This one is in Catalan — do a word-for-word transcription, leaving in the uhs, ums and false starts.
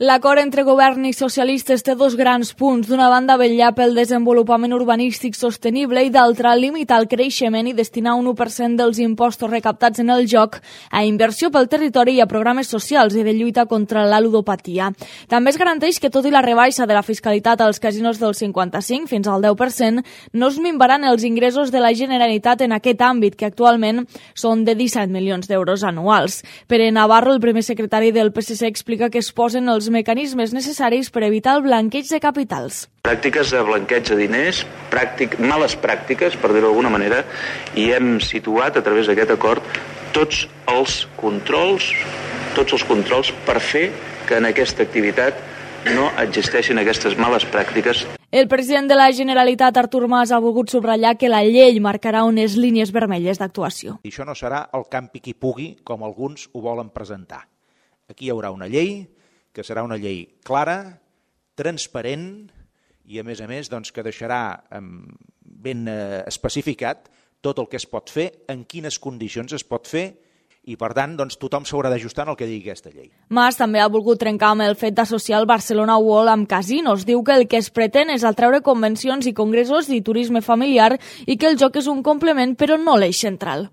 L'acord entre govern i socialistes té dos grans punts. D'una banda, vetllar pel desenvolupament urbanístic sostenible i d'altra, limitar el creixement i destinar un u per cent dels impostos recaptats en el joc a inversió pel territori i a programes socials i de lluita contra la ludopatia. També es garanteix que, tot i la rebaixa de la fiscalitat als casinos del cinquanta-cinc fins al deu per cent, no es minvaran els ingressos de la Generalitat en aquest àmbit, que actualment són de disset milions d'euros anuals. Pere Navarro, el primer secretari del P S C, explica que es posen els mecanismes necessaris per evitar el blanqueig de capitals. Pràctiques de blanqueig de diners, pràctic, males pràctiques, per dir-ho d'alguna manera, i hem situat a través d'aquest acord tots els controls, tots els controls per fer que en aquesta activitat no existeixin aquestes males pràctiques. El president de la Generalitat, Artur Mas, ha volgut subratllar que la llei marcarà unes línies vermelles d'actuació. I això no serà el campi qui pugui, com alguns ho volen presentar. Aquí hi haurà una llei que serà una llei clara, transparent i, a més a més, doncs, que deixarà ben especificat tot el que es pot fer, en quines condicions es pot fer, i, per tant, doncs, tothom s'haurà d'ajustar en el que digui aquesta llei. Mas també ha volgut trencar amb el fet d'associar el Barcelona World amb casinos. Diu que el que es pretén és atreure convencions i congressos i turisme familiar i que el joc és un complement, però no l'eix central.